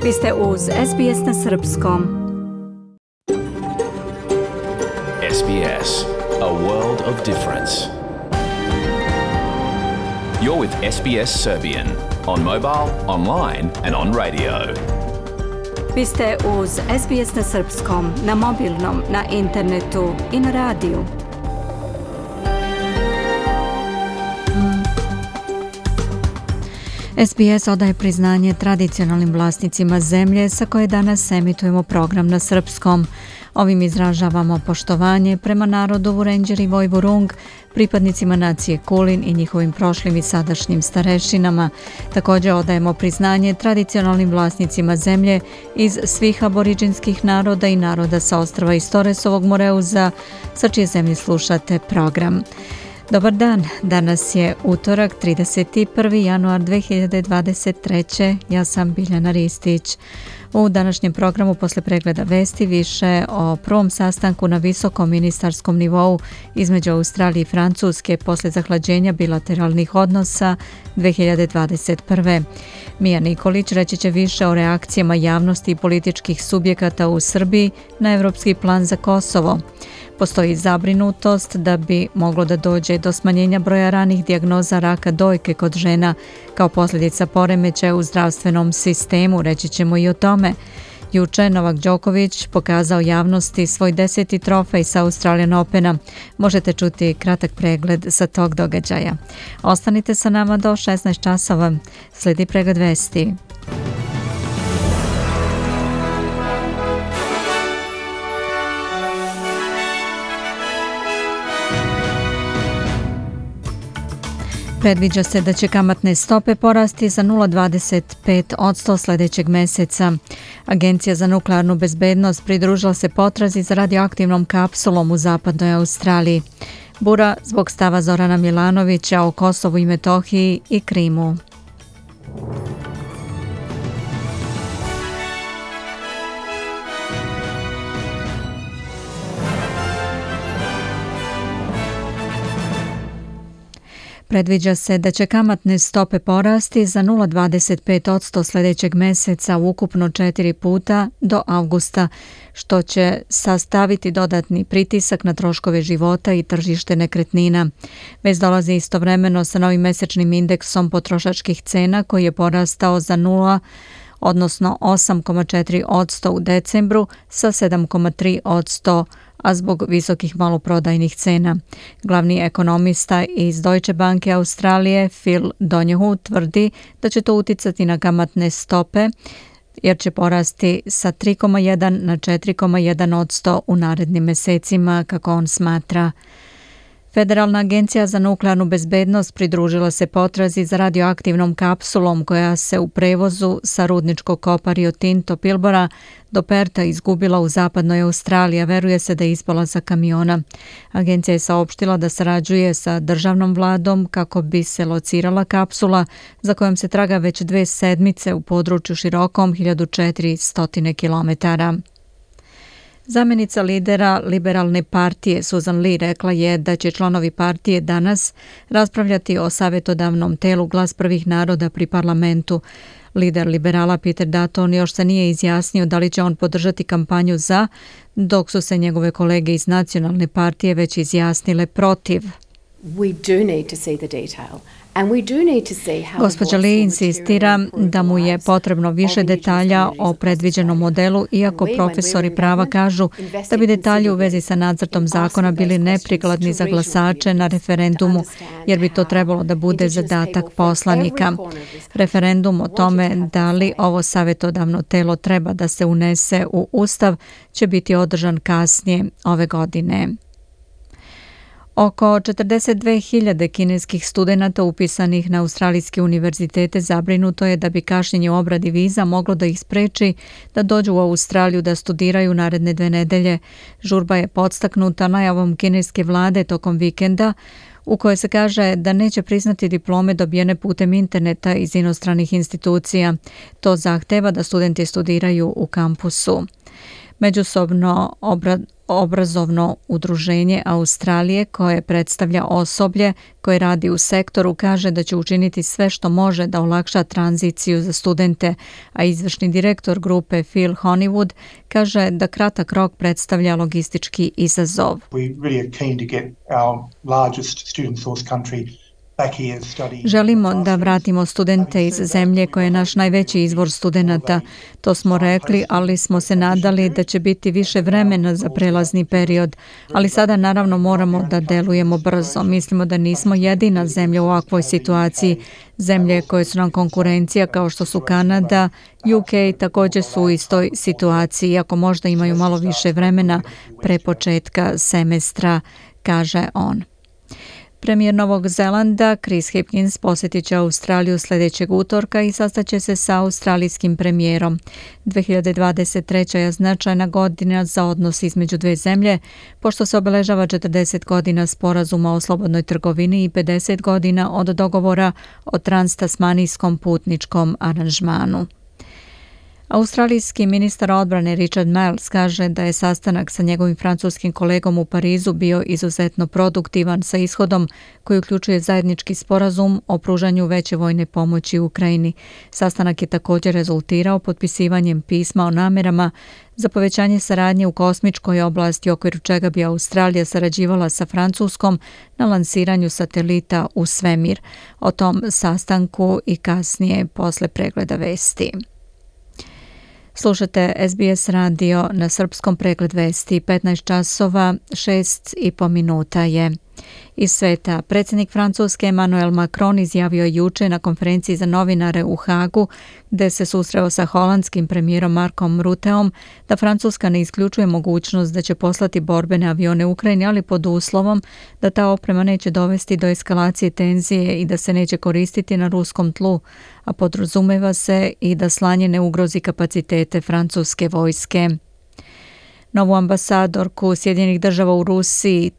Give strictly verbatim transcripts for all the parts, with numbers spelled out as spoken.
Vi ste uz S B S na srpskom. S B S, a world of difference. You're with S B S Serbian on mobile, online and on radio. Vi ste uz S B S na srpskom, na mobilnom, na internetu i na radiju. S B S odaje priznanje tradicionalnim vlasnicima zemlje sa koje danas emitujemo program na srpskom. Ovim izražavamo poštovanje prema narodu Vurenđer i Vojvurung, pripadnicima nacije Kulin i njihovim prošlim i sadašnjim starešinama. Također odajemo priznanje tradicionalnim vlasnicima zemlje iz svih aboriđinskih naroda i naroda sa ostrva iz Toresovog Moreuza, sa čije zemlje slušate program. Dobar dan, danas je utorak, trideset prvi januar dve hiljade dvadeset treće. Ja sam Biljana Ristić. U današnjem programu posle pregleda vesti više o prvom sastanku na visokom ministarskom nivou između Australije i Francuske posle zahlađenja bilateralnih odnosa dve hiljade dvadeset prve. Mija Nikolić reći će više o reakcijama javnosti i političkih subjekata u Srbiji na evropski plan za Kosovo. Postoji zabrinutost da bi moglo da dođe do smanjenja broja ranih dijagnoza raka dojke kod žena kao posljedica poremećaja u zdravstvenom sistemu, reći ćemo i o tome. Juče Novak Đoković pokazao javnosti svoj deseti trofej sa Australian Opena. Možete čuti kratak pregled sa tog događaja. Ostanite sa nama do šesnaest časova. Slijedi pregled vesti. Predviđa se da će kamatne stope porasti za nula zarez dvadeset pet posto sljedećeg mjeseca. Agencija za nuklearnu bezbednost pridružila se potrazi za radioaktivnom kapsulom u zapadnoj Australiji. Bura zbog stava Zorana Milanovića o Kosovu i Metohiji i Krimu. Predviđa se da će kamatne stope porasti za nula zarez dvadeset pet posto sljedećeg mjeseca ukupno četiri puta do avgusta, što će sastaviti dodatni pritisak na troškove života i tržište nekretnina. Već dolazi istovremeno sa novim mesečnim indeksom potrošačkih cena koji je porastao za nula, odnosno osam zarez četiri posto u decembru sa sedam zarez tri posto, a zbog visokih maloprodajnih cena. Glavni ekonomista iz Deutsche Banke Australije Phil Donahue tvrdi da će to uticati na kamatne stope jer će porasti sa tri zarez jedan na četiri zarez jedan posto u narednim mesecima, kako on smatra. Federalna agencija za nuklearnu bezbednost pridružila se potrazi za radioaktivnom kapsulom koja se u prevozu sa rudničkog kopa Rio Tinto Pilbara do Perta izgubila u zapadnoj Australiji, a veruje se da je ispala sa kamiona. Agencija je saopštila da sarađuje sa državnom vladom kako bi se locirala kapsula za kojom se traga već dve sedmice u području širokom hiljadu četiristo kilometara. Zamjenica lidera Liberalne partije Susan Lee rekla je da će članovi partije danas raspravljati o savjetodavnom telu Glas prvih naroda pri parlamentu. Lider liberala Peter Dutton još se nije izjasnio da li će on podržati kampanju za, dok su se njegove kolege iz nacionalne partije već izjasnile protiv. We do need to see the detail. Gospođa Lee insistira da mu je potrebno više detalja o predviđenom modelu, iako profesori prava kažu da bi detalji u vezi sa nacrtom zakona bili neprikladni za glasače na referendumu, jer bi to trebalo da bude zadatak poslanika. Referendum o tome da li ovo savjetodavno telo treba da se unese u Ustav će biti održan kasnije ove godine. Oko četrdeset dve hiljade kineskih studenata upisanih na australijske univerzitete zabrinuto je da bi kašnjenje u obradi viza moglo da ih spreči da dođu u Australiju da studiraju naredne dve nedelje. Žurba je podstaknuta najavom kineske vlade tokom vikenda u kojoj se kaže da neće priznati diplome dobijene putem interneta iz inostranih institucija. To zahteva da studenti studiraju u kampusu. Međusobno obra, obrazovno udruženje Australije koje predstavlja osoblje koje radi u sektoru kaže da će učiniti sve što može da olakša tranziciju za studente, a izvršni direktor grupe Phil Honeywood kaže da kratak rok predstavlja logistički izazov. We really are keen to get our largest student source country. Želimo da vratimo studente iz zemlje koje je naš najveći izvor studenata. To smo rekli, ali smo se nadali da će biti više vremena za prelazni period. Ali sada naravno moramo da delujemo brzo. Mislimo da nismo jedina zemlja u ovakvoj situaciji. Zemlje koje su nam konkurencija kao što su Kanada, U K također su u istoj situaciji, iako možda imaju malo više vremena pre početka semestra, kaže on. Premijer Novog Zelanda Chris Hipkins posjetit će Australiju sljedećeg utorka i sastaće se sa australijskim premijerom. dvije hiljade dvadeset treća je značajna godina za odnos između dve zemlje, pošto se obeležava četrdeset godina sporazuma o slobodnoj trgovini i pedeset godina od dogovora o transtasmanijskom putničkom aranžmanu. Australijski ministar odbrane Richard Marles kaže da je sastanak sa njegovim francuskim kolegom u Parizu bio izuzetno produktivan sa ishodom koji uključuje zajednički sporazum o pružanju veće vojne pomoći Ukrajini. Sastanak je također rezultirao potpisivanjem pisma o namerama za povećanje saradnje u kosmičkoj oblasti, u okviru čega bi Australija sarađivala sa Francuskom na lansiranju satelita u svemir. O tom sastanku i kasnije posle pregleda vesti. Slušate S B S radio na srpskom, pregled vesti, petnaest časova, šest i po minuta je. Iz sveta, predsjednik Francuske Emmanuel Macron izjavio juče na konferenciji za novinare u Hagu, gde se susreo sa holandskim premijerom Markom Rutteom, da Francuska ne isključuje mogućnost da će poslati borbene avione Ukrajini, ali pod uslovom da ta oprema neće dovesti do eskalacije tenzije i da se neće koristiti na ruskom tlu, a podrazumeva se i da slanje ne ugrozi kapacitete francuske vojske. Novu ambasadorku Sjedinjenih država u Rusiji,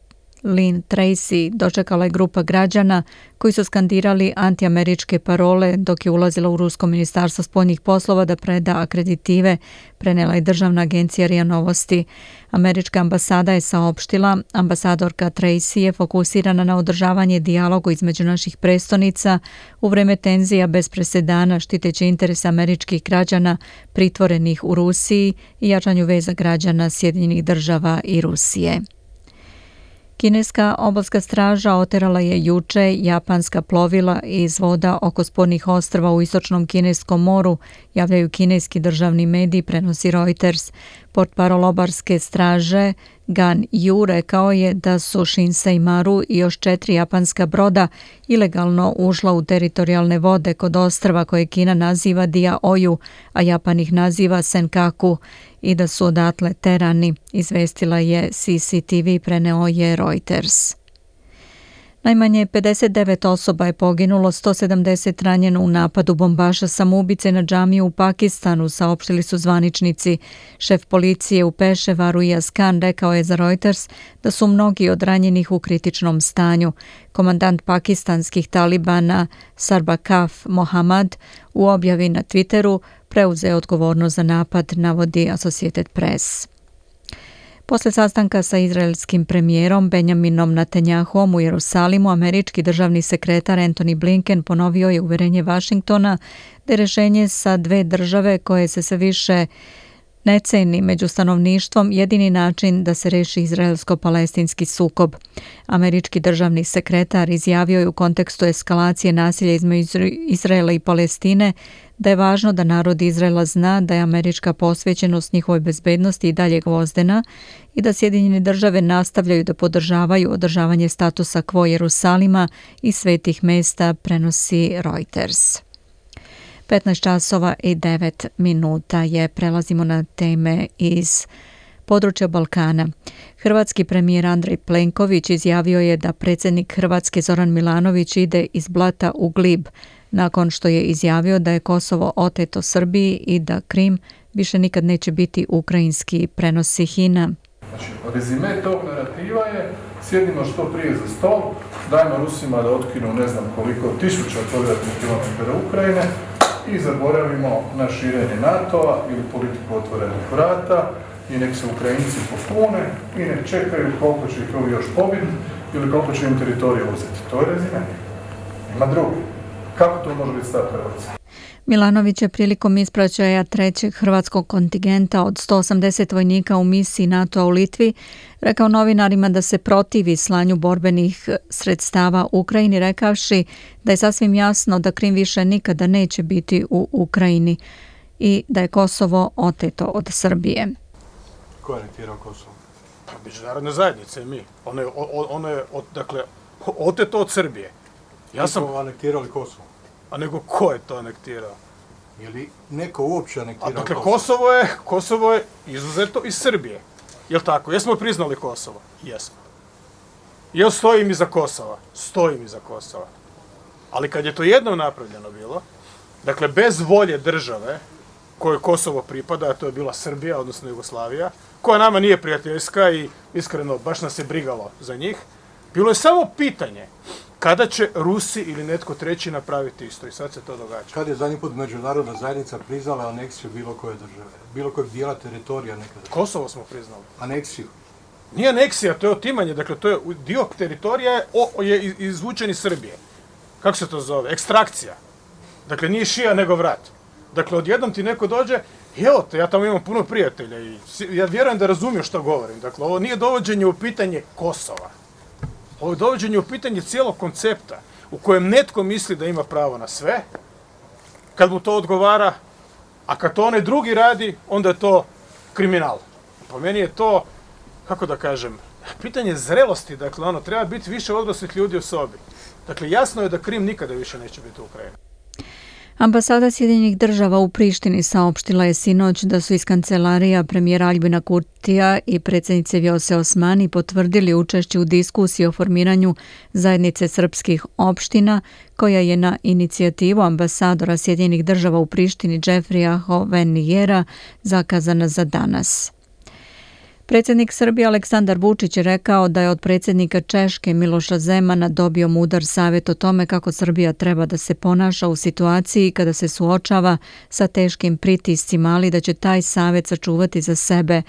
Lynn Tracy, dočekala je grupa građana koji su skandirali antiameričke parole dok je ulazila u Rusko ministarstvo spoljnih poslova da preda akreditive, prenela je državna agencija R I A Novosti. Američka ambasada je saopštila, ambasadorka Tracy je fokusirana na održavanje dijaloga između naših prestonica u vreme tenzija bez presedana, štiteći interese američkih građana pritvorenih u Rusiji i jačanju veza građana Sjedinjenih država i Rusije. Kineska obalska straža oterala je juče japanska plovila iz voda oko spornih ostrva u istočnom Kineskom moru, javljaju kineski državni mediji, prenosi Reuters. Portparol obalske straže Gan Yu rekao je da su Shinsei Maru i još četiri japanska broda ilegalno ušla u teritorijalne vode kod ostrva koje Kina naziva Diaoyu, a Japan ih naziva Senkaku, i da su odatle terani, izvestila je C C T V, preneo je Reuters. Najmanje pedeset devet osoba je poginulo, sto sedamdeset ranjeno u napadu bombaša samoubice na džamiju u Pakistanu, saopštili su zvaničnici. Šef policije u Peševaru Iyaz Khan rekao je za Reuters da su mnogi od ranjenih u kritičnom stanju. Komandant pakistanskih talibana Sarbakaf Mohammad u objavi na Twitteru preuzeo odgovornost za napad, navodi Associated Press. Posle sastanka sa izraelskim premijerom Benjaminom Netanjahuom u Jerusalimu, američki državni sekretar Antony Blinken ponovio je uverenje Vašingtona da je rešenje sa dve države koje se sve više ne ceni među stanovništvom jedini način da se reši izraelsko-palestinski sukob. Američki državni sekretar izjavio je u kontekstu eskalacije nasilja između Izraela i Palestine da je važno da narod Izraela zna da je američka posvećenost njihovoj bezbednosti i dalje gvozdena i da Sjedinjene države nastavljaju da podržavaju održavanje statusa quo Jerusalima i svetih mesta, prenosi Reuters. petnaest časova i devet minuta je, prelazimo na teme iz područja Balkana. Hrvatski premijer Andrej Plenković izjavio je da predsjednik Hrvatske Zoran Milanović ide iz blata u glib, nakon što je izjavio da je Kosovo oteto Srbiji i da Krim više nikad neće biti ukrajinski, prenosi Hina. Znači, rezime tog narativa je sjedimo što prije za stol, dajmo Rusima da otkinu ne znam koliko tisuća kvadratnih kilometara Ukrajine i zaboravimo na širenje NATO-a ili politiku otvorenih vrata i nek se Ukrajinci popune i nek čekaju koliko će ih ovi još pobiti ili koliko će im teritorija uzeti. To je rezime. Ima drugi. Kako to može biti stav Hrvatske? Milanović je prilikom ispraćaja trećeg hrvatskog kontingenta od sto osamdeset vojnika u misiji NATO-a u Litvi rekao novinarima da se protivi slanju borbenih sredstava Ukrajini, rekavši da je sasvim jasno da Krim više nikada neće biti u Ukrajini i da je Kosovo oteto od Srbije. Ko je anektirao Kosovo? Međunarodne zajednice, mi. Ono je, ono je od, dakle, oteto od Srbije. Ja sam anektirali Kosovo. A nego ko je to anektirao? Je li neko uopće anektirao Kosovo? Dakle, Kosovo? Kosovo je, Kosovo je izuzeto iz Srbije. Jel' tako? Jesmo priznali Kosovo? Jesmo. Jel' stojim iza Kosova? Stojim iza Kosova. Ali kad je to jednom napravljeno bilo, dakle, bez volje države kojoj Kosovo pripada, a to je bila Srbija, odnosno Jugoslavija, koja nama nije prijateljska i iskreno baš nas je brigalo za njih, bilo je samo pitanje kada će Rusi ili netko treći napraviti isto i sad se to događa. Kad je zadnji put međunarodna zajednica priznala aneksiju bilo koje države? Bilo kojeg dijela teritorija nekada? Kosovo smo priznali. Aneksiju? Nije aneksija, to je otimanje, dakle to je dio teritorija je, o, je izvučen iz Srbije. Kako se to zove? Ekstrakcija. Dakle, nije šija nego vrat. Dakle, odjednom ti neko dođe, evo te, ja tamo imam puno prijatelja i ja vjerujem da razumijem što govorim. Dakle, ovo nije dovođenje u pitanje Kosova. Ovo je dovođenje u pitanje cijelog koncepta u kojem netko misli da ima pravo na sve, kad mu to odgovara, a kad to onaj drugi radi, onda je to kriminal. Po meni je to, kako da kažem, pitanje zrelosti, dakle, ono, treba biti više odraslih ljudi u sobi. Dakle, jasno je da Krim nikada više neće biti Ukrajina. Ambasada Sjedinjenih država u Prištini saopštila je sinoć da su iz kancelarija premijera Aljbina Kurtija i predsjednice Vjose Osmani potvrdili učešće u diskusiji o formiranju zajednice srpskih opština, koja je na inicijativu ambasadora Sjedinjenih država u Prištini Džefrija Hovenijera zakazana za danas. Predsjednik Srbije Aleksandar Vučić je rekao da je od predsjednika Češke Miloša Zemana dobio mudar savjet o tome kako Srbija treba da se ponaša u situaciji kada se suočava sa teškim pritiscima, ali da će taj savjet sačuvati za sebe.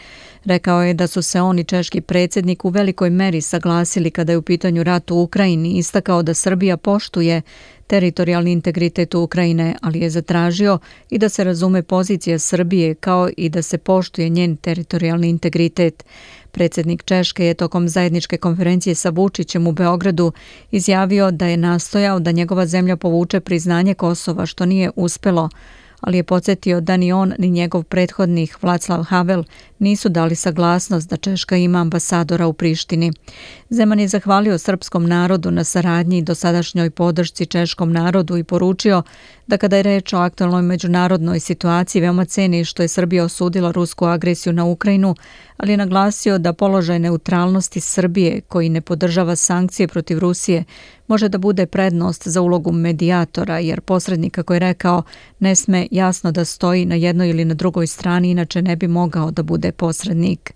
Rekao je da su se on i češki predsjednik u velikoj meri saglasili kada je u pitanju rat u Ukrajini, istakao da Srbija poštuje teritorijalni integritet Ukrajine, ali je zatražio i da se razume pozicija Srbije kao i da se poštuje njen teritorijalni integritet. Predsjednik Češke je tokom zajedničke konferencije sa Vučićem u Beogradu izjavio da je nastojao da njegova zemlja povuče priznanje Kosova, što nije uspelo, ali je podsjetio da ni on ni njegov prethodnik Václav Havel nisu dali saglasnost da Češka ima ambasadora u Prištini. Zeman je zahvalio srpskom narodu na saradnji i dosadašnjoj podršci češkom narodu i poručio da kada je reč o aktualnoj međunarodnoj situaciji veoma ceni što je Srbija osudila rusku agresiju na Ukrajinu, ali je naglasio da položaj neutralnosti Srbije, koji ne podržava sankcije protiv Rusije, može da bude prednost za ulogu medijatora, jer posrednik, kako je rekao, ne sme jasno da stoji na jednoj ili na drugoj strani, inače ne bi mogao da bude posrednik.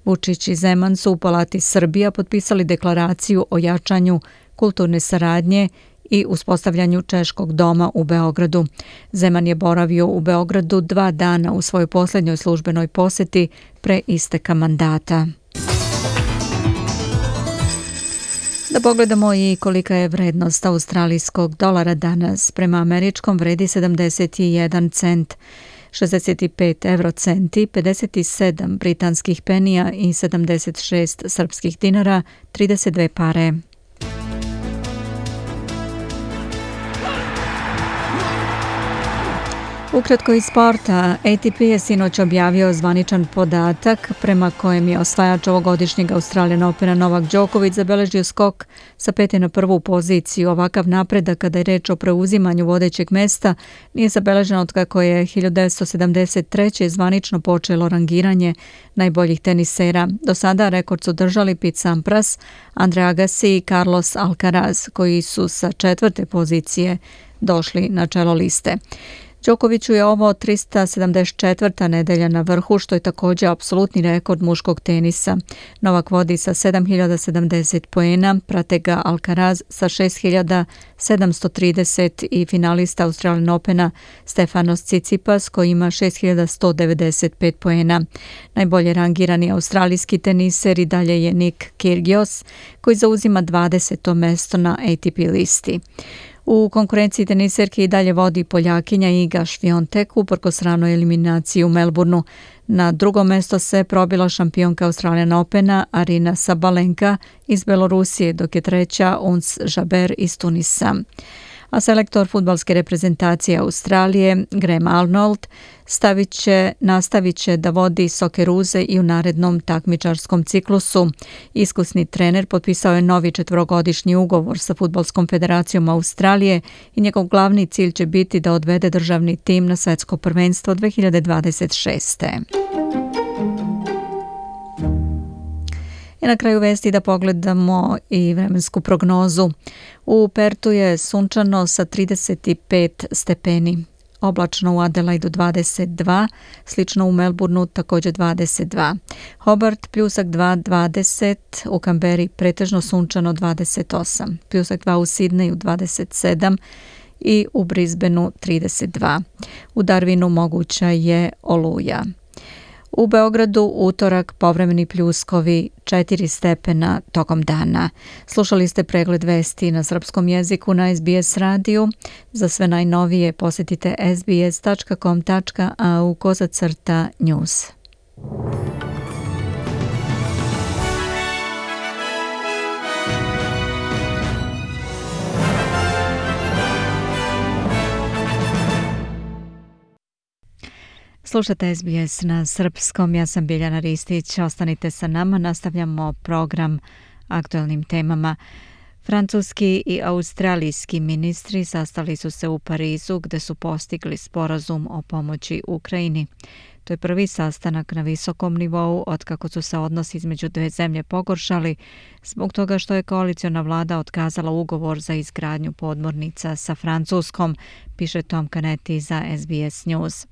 Vučić i Zeman su u Palati Srbija potpisali deklaraciju o jačanju kulturne saradnje i uspostavljanju Češkog doma u Beogradu. Zeman je boravio u Beogradu dva dana u svojoj posljednjoj službenoj posjeti pre isteka mandata. Da pogledamo i kolika je vrednost australijskog dolara danas. Prema američkom vredi sedamdeset jedan cent, šezdeset pet eurocenti, pedeset sedam britanskih penija i sedamdeset šest srpskih dinara, trideset dve pare. Ukratko iz sporta, A T P je sinoć objavio zvaničan podatak prema kojem je osvajač ovogodišnjeg Australian Opena Novak Đoković zabeležio skok sa pete na prvu poziciju. Ovakav napredak kada je reč o preuzimanju vodećeg mesta nije zabeležen od kako je hiljadu devetsto sedamdeset treće zvanično počelo rangiranje najboljih tenisera. Do sada rekord su držali Pete Sampras, Andre Agassi i Carlos Alcaraz, koji su sa četvrte pozicije došli na čelo liste. Đokoviću je ovo trista sedamdeset četvrta nedelja na vrhu, što je također apsolutni rekord muškog tenisa. Novak vodi sa sedam hiljada sedamdeset poena, prate ga Alcaraz sa šest hiljada sedamsto trideset i finalista Australian Opena Stefanos Tsitsipas koji ima šest hiljada sto devedeset pet poena. Najbolje rangirani australijski teniser i dalje je Nick Kyrgios koji zauzima dvadeseto mesto na A T P listi. U konkurenciji teniserke i dalje vodi Poljakinja Iga Świątek uprkos ranoj eliminaciji u Melbourneu. Na drugo mesto se probila šampionka Australian Opena Arina Sabalenka iz Belorusije, dok je treća Ons Jabeur iz Tunisa. A selektor fudbalske reprezentacije Australije Graham Arnold stavit će, nastavit će da vodi Socceruze i u narednom takmičarskom ciklusu. Iskusni trener potpisao je novi četvorogodišnji ugovor sa Fudbalskom federacijom Australije i njegov glavni cilj će biti da odvede državni tim na svetsko prvenstvo dve hiljade dvadeset šeste. I na kraju vesti da pogledamo i vremensku prognozu. U Pertu je sunčano sa trideset pet stepeni. Oblačno u Adelaidu dvadeset dva, slično u Melbourneu također dvadeset dva. Hobart pljusak dva, dvadeset, u Kamberi pretežno sunčano dvadeset osam, pljusak dva u Sidneju dvadeset sedam i u Brisbaneu trideset dva. U Darwinu moguća je oluja. U Beogradu utorak povremeni pljuskovi četiri stepena tokom dana. Slušali ste pregled vesti na srpskom jeziku na S B S radiju. Za sve najnovije posjetite s b s tačka com tačka a u kozacrta news. Slušate S B S na srpskom, ja sam Biljana Ristić, ostanite sa nama, nastavljamo program aktualnim temama. Francuski i australijski ministri sastali su se u Parizu gde su postigli sporazum o pomoći Ukrajini. To je prvi sastanak na visokom nivou otkako su se odnosi između dve zemlje pogoršali zbog toga što je koaliciona vlada otkazala ugovor za izgradnju podmornica sa Francuskom, piše Tom Canetti za S B S News.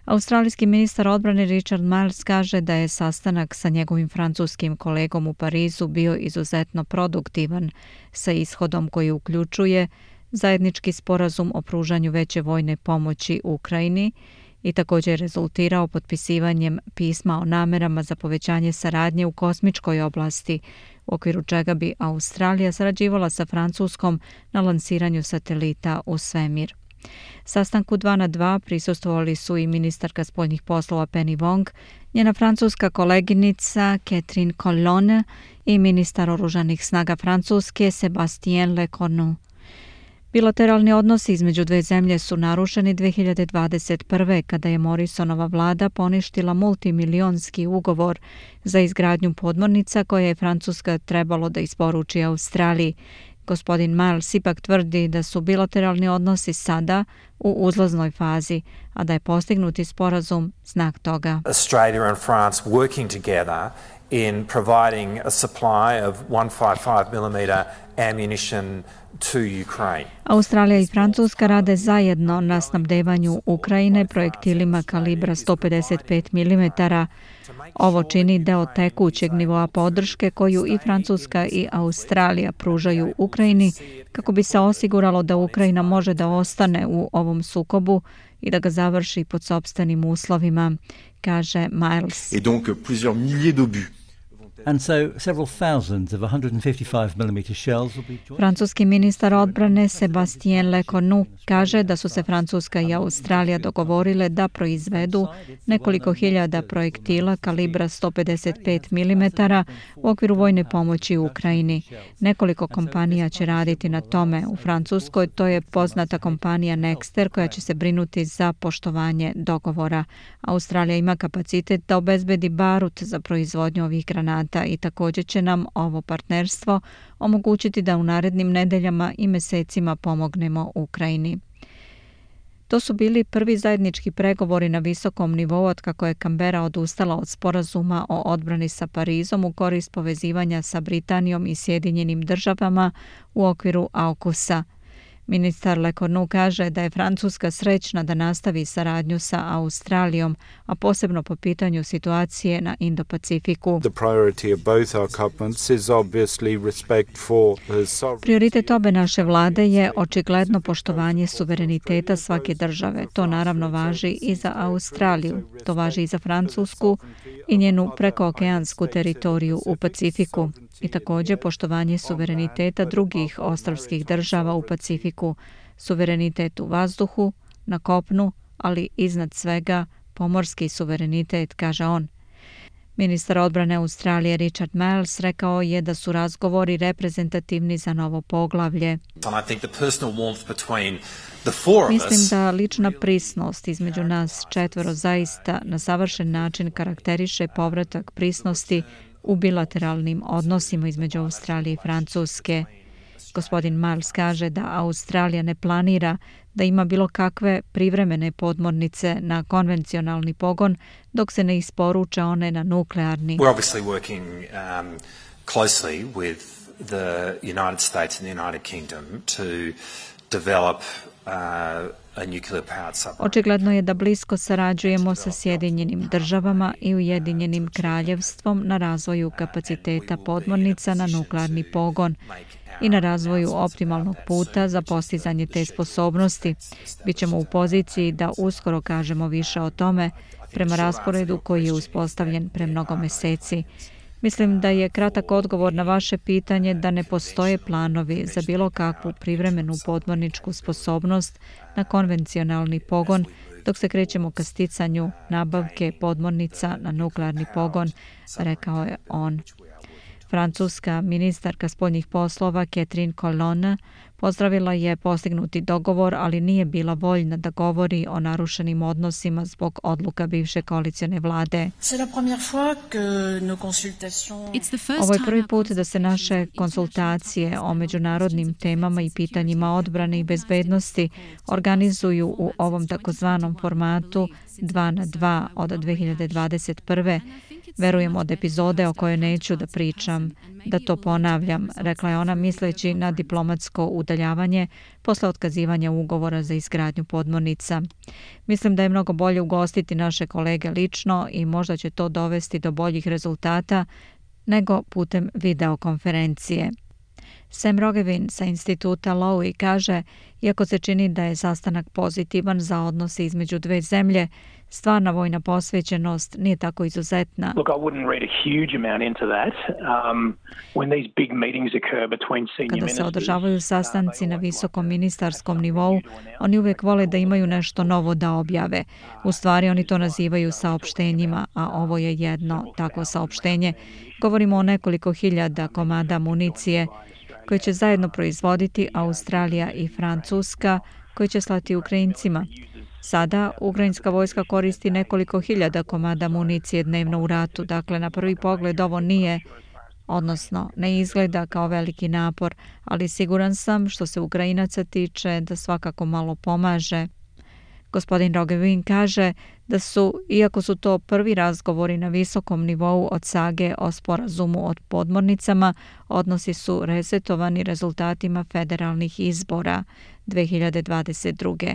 Australijski ministar odbrane Richard Marles kaže da je sastanak sa njegovim francuskim kolegom u Parizu bio izuzetno produktivan sa ishodom koji uključuje zajednički sporazum o pružanju veće vojne pomoći Ukrajini i također rezultirao potpisivanjem pisma o namerama za povećanje saradnje u kosmičkoj oblasti, u okviru čega bi Australija sarađivala sa Francuskom na lansiranju satelita u svemir. Sastanku dva na dva prisustvovali su i ministarka spoljnih poslova Penny Wong, njena francuska koleginica Catherine Colonna i ministar oružanih snaga Francuske Sébastien Lecornu. Bilateralni odnosi između dve zemlje su narušeni dve hiljade dvadeset prve kada je Morrisonova vlada poništila multimilionski ugovor za izgradnju podmornica koje je Francuska trebalo da isporuči Australiji. Gospodin Miles ipak tvrdi da su bilateralni odnosi sada u uzlaznoj fazi, a da je postignuti sporazum znak toga. Australia and France working together in providing a supply of one fifty-five millimeter ammunition to Ukraine. Australija i Francuska rade zajedno na snabdevanju Ukrajine projektilima kalibra sto pedeset pet milimetara. Ovo čini deo tekućeg nivoa podrške koju i Francuska i Australija pružaju Ukrajini kako bi se osiguralo da Ukrajina može da ostane u ovom sukobu i da ga završi pod sopstvenim uslovima, kaže Miles. Et donc plusieurs milliers d'obus. And so several thousands of one fifty-five millimeter shells will be joined. Francuski ministar odbrane Sébastien Lecornu kaže da su se Francuska i Australija dogovorile da proizvedu nekoliko hiljada projektila kalibra sto pedeset pet milimetara u okviru vojne pomoći u Ukrajini. Nekoliko kompanija će raditi na tome u Francuskoj, to je poznata kompanija Nexter koja će se brinuti za poštovanje dogovora. Australija ima kapacitet da obezbedi barut za proizvodnju ovih granata i također će nam ovo partnerstvo omogućiti da u narednim nedeljama i mesecima pomognemo Ukrajini. To su bili prvi zajednički pregovori na visokom nivou otkako je Kambera odustala od sporazuma o odbrani sa Parizom u korist povezivanja sa Britanijom i Sjedinjenim državama u okviru AUKUS-a. Ministar Lecornu kaže da je Francuska srećna da nastavi saradnju sa Australijom, a posebno po pitanju situacije na Indo-Pacifiku. Prioritet obe naše vlade je očigledno poštovanje suvereniteta svake države. To naravno važi i za Australiju, to važi i za Francusku i njenu prekookeansku teritoriju u Pacifiku i također poštovanje suvereniteta drugih ostrvskih država u Pacifiku, suverenitet u vazduhu, na kopnu, ali iznad svega pomorski suverenitet, kaže on. Ministar odbrane Australije Richard Marles rekao je da su razgovori reprezentativni za novo poglavlje. Mislim da lična prisnost između nas četvoro zaista na savršen način karakteriše povratak prisnosti u bilateralnim odnosima između Australije i Francuske. Gospodin Marles kaže da Australija ne planira da ima bilo kakve privremene podmornice na konvencionalni pogon dok se ne isporuče one na nuklearni. We're obviously working um, closely with the United States and the United Kingdom to develop uh, a nuclear powered submarine. Očigledno je da blisko sarađujemo sa Sjedinjenim državama i Ujedinjenim kraljevstvom na razvoju kapaciteta podmornica na nuklearni pogon i na razvoju optimalnog puta za postizanje te sposobnosti. Bićemo u poziciji da uskoro kažemo više o tome prema rasporedu koji je uspostavljen pre mnogo meseci. Mislim da je kratak odgovor na vaše pitanje da ne postoje planovi za bilo kakvu privremenu podmorničku sposobnost na konvencionalni pogon dok se krećemo ka sticanju nabavke podmornica na nuklearni pogon, rekao je on. Francuska ministarka spoljnih poslova Catherine Colonna pozdravila je postignuti dogovor, ali nije bila voljna da govori o narušenim odnosima zbog odluka bivše koalicione vlade. Ovo je prvi put da se naše konsultacije o međunarodnim temama i pitanjima odbrane i bezbednosti organizuju u ovom takozvanom formatu dva na dva od dve hiljade dvadeset prve. Verujem od epizode o kojoj neću da pričam, da to ponavljam, rekla je ona misleći na diplomatsko udaljavanje posle otkazivanja ugovora za izgradnju podmornica. Mislim da je mnogo bolje ugostiti naše kolege lično i možda će to dovesti do boljih rezultata nego putem videokonferencije. Sam Rogevin sa instituta Lowy kaže, iako se čini da je sastanak pozitivan za odnose između dve zemlje, stvarna vojna posvećenost nije tako izuzetna. Kada se održavaju sastanci na visokom ministarskom nivou, oni uvijek vole da imaju nešto novo da objave. U stvari oni to nazivaju saopštenjima, a ovo je jedno takvo saopštenje. Govorimo o nekoliko hiljada komada municije koje će zajedno proizvoditi Australija i Francuska, koje će slati Ukrajincima. Sada ukrajinska vojska koristi nekoliko hiljada komada municije dnevno u ratu, dakle na prvi pogled ovo nije, odnosno ne izgleda kao veliki napor, ali siguran sam što se Ukrajinaca tiče da svakako malo pomaže. Gospodin Rogevin kaže da su, iako su to prvi razgovori na visokom nivou od sage o sporazumu od podmornicama, odnosi su resetovani rezultatima federalnih izbora dve hiljade dvadeset druge.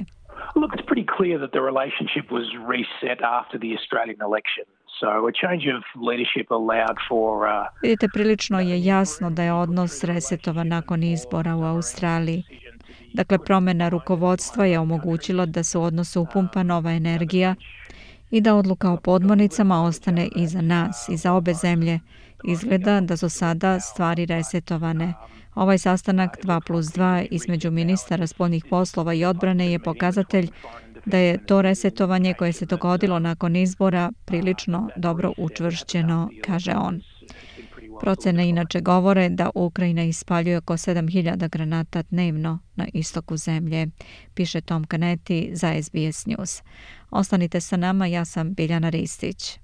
Look, it's pretty clear that the relationship was reset after the Australian election. So a change of leadership allowed for uh, Vidite, prilično je jasno da je odnos resetovan nakon izbora u Australiji. Dakle, promjena rukovodstva je omogućila da se u odnosu upumpa nova energija i da odluka o podmornicama ostane i za nas, i za obe zemlje. Izgleda da su sada stvari resetovane. Ovaj sastanak dva plus dva između ministara spoljnih poslova i odbrane je pokazatelj da je to resetovanje koje se dogodilo nakon izbora prilično dobro učvršćeno, kaže on. Procene inače govore da Ukrajina ispaljuje oko sedam hiljada granata dnevno na istoku zemlje, piše Tom Canetti za S B S News. Ostanite sa nama, ja sam Biljana Ristić.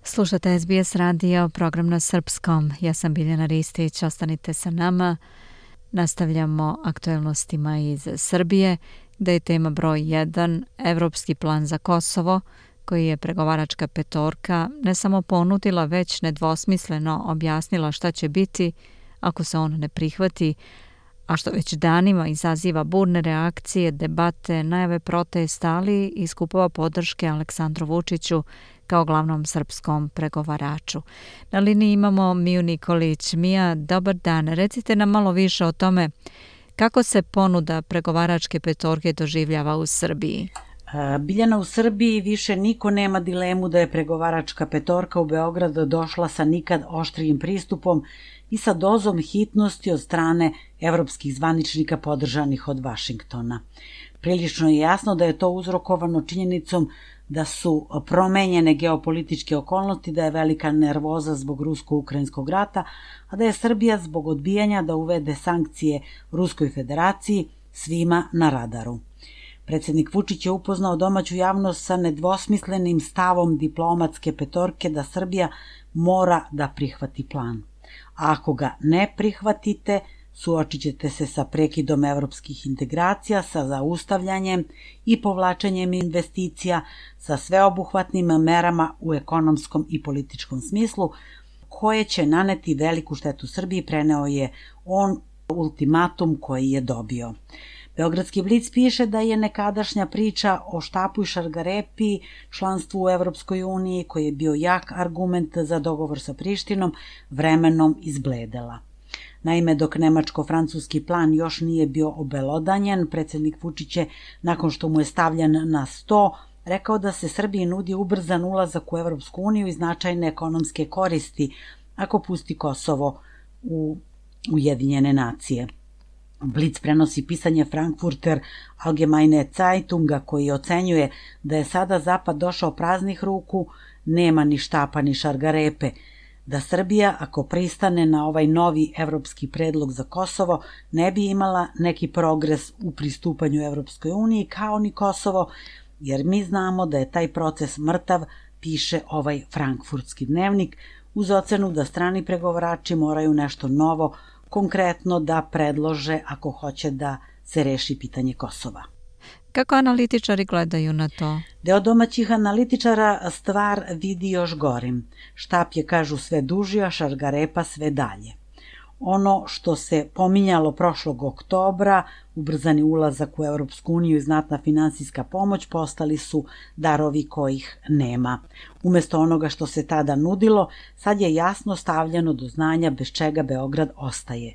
Slušate S B S radio, program na srpskom. Ja sam Biljana Ristić, ostanite sa nama. Nastavljamo aktuelnostima iz Srbije, gde je tema broj jedan, Evropski plan za Kosovo. koji je pregovaračka petorka ne samo ponudila, već nedvosmisleno objasnila šta će biti ako se on ne prihvati, a što već danima izaziva burne reakcije, debate, najave protesta, ali i skupova podrške Aleksandru Vučiću kao glavnom srpskom pregovaraču. Na liniji imamo Miju Nikolić. Mija, dobar dan. Recite nam malo više o tome kako se ponuda pregovaračke petorke doživljava u Srbiji. Biljana, u Srbiji više niko nema dilemu da je pregovaračka petorka u Beograd došla sa nikad oštrijim pristupom i sa dozom hitnosti od strane evropskih zvaničnika podržanih od Vašingtona. Prilično je jasno da je to uzrokovano činjenicom da su promenjene geopolitičke okolnosti, da je velika nervoza zbog rusko-ukrajinskog rata, a da je Srbija zbog odbijanja da uvede sankcije Ruskoj federaciji svima na radaru. Predsjednik Vučić je upoznao domaću javnost sa nedvosmislenim stavom diplomatske petorke da Srbija mora da prihvati plan. A ako ga ne prihvatite, suočit ćete se sa prekidom evropskih integracija, sa zaustavljanjem i povlačenjem investicija, sa sveobuhvatnim merama u ekonomskom i političkom smislu, koje će naneti veliku štetu Srbiji, preneo je on ultimatum koji je dobio. Beogradski Blic piše da je nekadašnja priča o štapu i šargarepi, članstvu u Evropskoj uniji, koji je bio jak argument za dogovor sa Prištinom, vremenom izbledela. Naime, dok nemačko-francuski plan još nije bio obelodanjen, predsjednik Vučić je, nakon što mu je stavljen na sto, rekao da se Srbiji nudi ubrzan ulazak u Evropsku uniju i značajne ekonomske koristi ako pusti Kosovo u Ujedinjene nacije. Blic prenosi pisanje Frankfurter Allgemeine Zeitunga koji ocenjuje da je sada Zapad došao praznih ruku, nema ni štapa ni šargarepe, da Srbija, ako pristane na ovaj novi evropski predlog za Kosovo, ne bi imala neki progres u pristupanju Evropskoj uniji kao ni Kosovo, jer mi znamo da je taj proces mrtav, piše ovaj frankfurtski dnevnik, uz ocenu da strani pregovarači moraju nešto novo, konkretno da predlože ako hoće da se reši pitanje Kosova. Kako analitičari gledaju na to? Deo domaćih analitičara stvar vidi još gorim. Štap je, kažu, sve duži, a šargarepa sve dalje. Ono što se pominjalo prošlog oktobra, ubrzani ulazak u Evropsku uniju i znatna finansijska pomoć, postali su darovi kojih nema. Umesto onoga što se tada nudilo, sad je jasno stavljeno do znanja bez čega Beograd ostaje.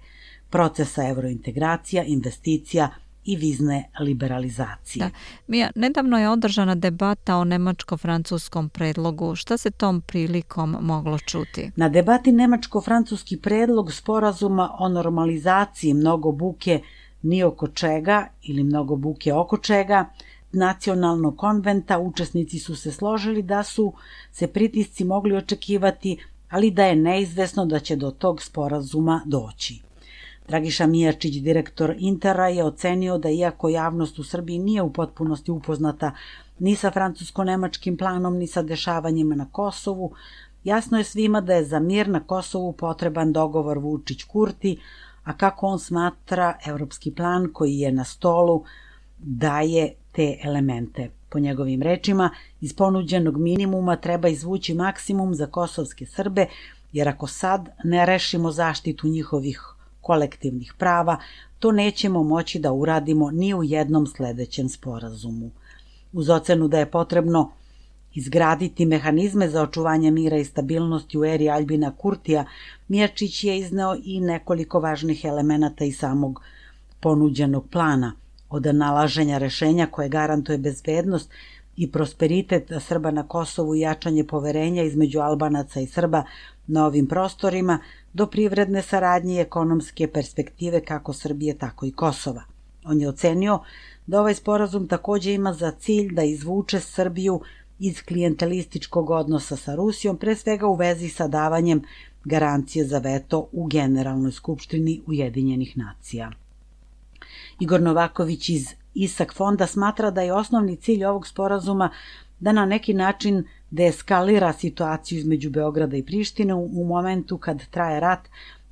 Procesa evrointegracija, investicija i vizne liberalizacije. Da. Mija, nedavno je održana debata o nemačko-francuskom predlogu. Šta se tom prilikom moglo čuti? Na debati nemačko-francuski predlog sporazuma o normalizaciji mnogo buke ni oko čega ili mnogo buke oko čega nacionalnog konventa učesnici su se složili da su se pritisci mogli očekivati, ali da je neizvesno da će do tog sporazuma doći. Dragiša Mijačić, direktor Intera, je ocenio da iako javnost u Srbiji nije u potpunosti upoznata ni sa francusko-nemačkim planom, ni sa dešavanjima na Kosovu, jasno je svima da je za mir na Kosovu potreban dogovor Vučić-Kurti, a kako on smatra, evropski plan koji je na stolu daje te elemente. Po njegovim rečima, iz ponuđenog minimuma treba izvući maksimum za kosovske Srbe, jer ako sad ne rešimo zaštitu njihovih kolektivnih prava, to nećemo moći da uradimo ni u jednom sledećem sporazumu. Uz ocenu da je potrebno izgraditi mehanizme za očuvanje mira i stabilnosti u eri Aljbina Kurtija, Mijačić je izneo i nekoliko važnih elemenata iz samog ponuđenog plana, od nalaženja rešenja koje garantuje bezbednost i prosperitet Srba na Kosovu i jačanje poverenja između Albanaca i Srba na ovim prostorima, do privredne saradnje i ekonomske perspektive kako Srbije, tako i Kosova. On je ocenio da ovaj sporazum takođe ima za cilj da izvuče Srbiju iz klijentelističkog odnosa sa Rusijom, pre svega u vezi sa davanjem garancije za veto u Generalnoj skupštini Ujedinjenih nacija. Igor Novaković iz Isak fonda smatra da je osnovni cilj ovog sporazuma da na neki način deeskalira situaciju između Beograda i Prištine u momentu kad traje rat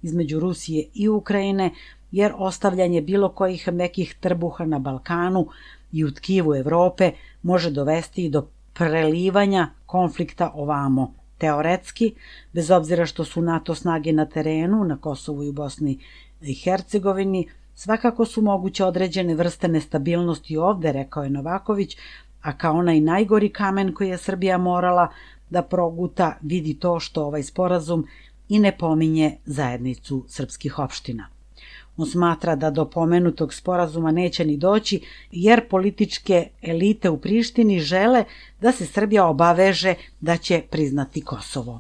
između Rusije i Ukrajine, jer ostavljanje bilo kojih mekih trbuha na Balkanu i u tkivu Evrope može dovesti i do prelivanja konflikta ovamo. Teoretski, bez obzira što su NATO snage na terenu, na Kosovu i u Bosni i Hercegovini, svakako su moguće određene vrste nestabilnosti ovde, rekao je Novaković, a kao onaj najgori kamen koji je Srbija morala da proguta vidi to što ovaj sporazum i ne pominje zajednicu srpskih opština. On smatra da do pomenutog sporazuma neće ni doći, jer političke elite u Prištini žele da se Srbija obaveže da će priznati Kosovo.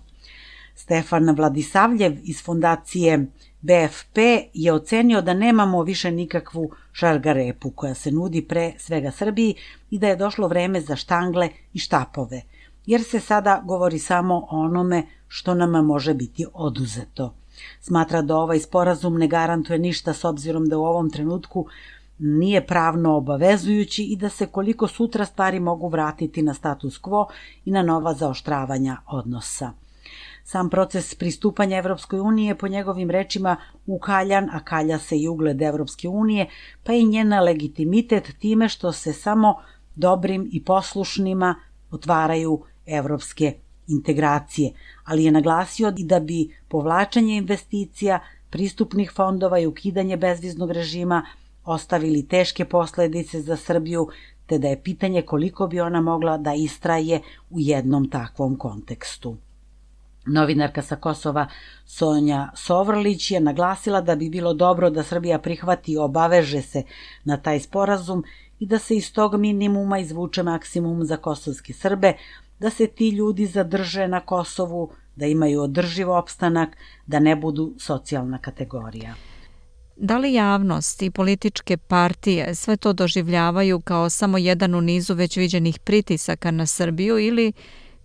Stefan Vladisavljev iz fondacije B F P je ocenio da nemamo više nikakvu šargarepu koja se nudi pre svega Srbiji i da je došlo vreme za štangle i štapove, jer se sada govori samo o onome što nama može biti oduzeto. Smatra da ovaj sporazum ne garantuje ništa s obzirom da u ovom trenutku nije pravno obavezujući i da se koliko sutra stvari mogu vratiti na status quo i na nova zaoštravanja odnosa. Sam proces pristupanja Evropskoj unije po njegovim rečima ukaljan, a kalja se i ugled Evropske unije, pa i njena legitimitet time što se samo dobrim i poslušnima otvaraju evropske integracije, ali je naglasio i da bi povlačenje investicija, pristupnih fondova i ukidanje bezviznog režima ostavili teške posledice za Srbiju, te da je pitanje koliko bi ona mogla da istraje u jednom takvom kontekstu. Novinarka sa Kosova Sonja Sovrlić je naglasila da bi bilo dobro da Srbija prihvati i obaveže se na taj sporazum i da se iz tog minimuma izvuče maksimum za kosovske Srbe, da se ti ljudi zadrže na Kosovu, da imaju održiv opstanak, da ne budu socijalna kategorija. Da li javnost i političke partije sve to doživljavaju kao samo jedan u nizu već viđenih pritisaka na Srbiju ili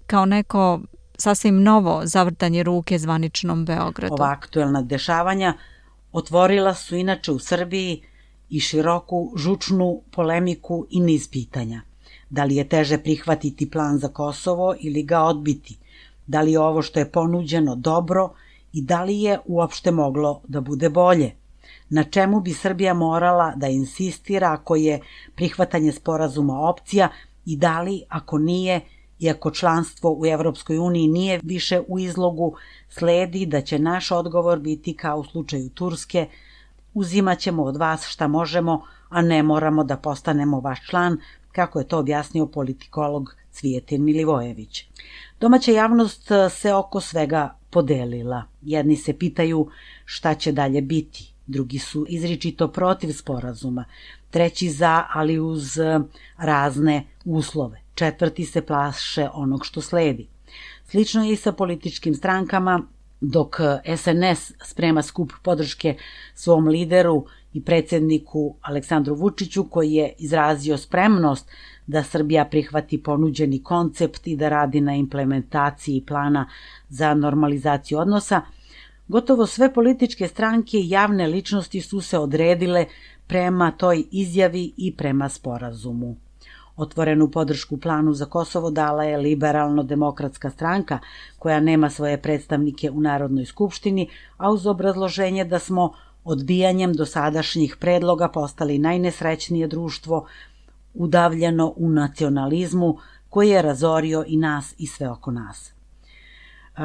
kao neko sasvim novo zavrtanje ruke zvaničnom Beogradu? Ova aktuelna dešavanja otvorila su inače u Srbiji i široku žučnu polemiku i niz pitanja. Da li je teže prihvatiti plan za Kosovo ili ga odbiti? Da li je ovo što je ponuđeno dobro i da li je uopšte moglo da bude bolje? Na čemu bi Srbija morala da insistira ako je prihvatanje sporazuma opcija i da li, ako nije, i ako članstvo u Evropskoj uniji nije više u izlogu, sledi da će naš odgovor biti kao u slučaju Turske: uzimat ćemo od vas šta možemo, a ne moramo da postanemo vaš član, kako je to objasnio politikolog Cvijetin Milivojević. Domaća javnost se oko svega podelila. Jedni se pitaju šta će dalje biti, drugi su izričito protiv sporazuma, treći za, ali uz razne uslove, četvrti se plaše onog što sledi. Slično je i sa političkim strankama, dok S N S sprema skup podrške svom lideru i predsjedniku Aleksandru Vučiću, koji je izrazio spremnost da Srbija prihvati ponuđeni koncept i da radi na implementaciji plana za normalizaciju odnosa, gotovo sve političke stranke i javne ličnosti su se odredile prema toj izjavi i prema sporazumu. Otvorenu podršku planu za Kosovo dala je Liberalno-demokratska stranka, koja nema svoje predstavnike u Narodnoj skupštini, a uz obrazloženje da smo odbijanjem dosadašnjih predloga postali najnesrećnije društvo, udavljeno u nacionalizmu koji je razorio i nas i sve oko nas.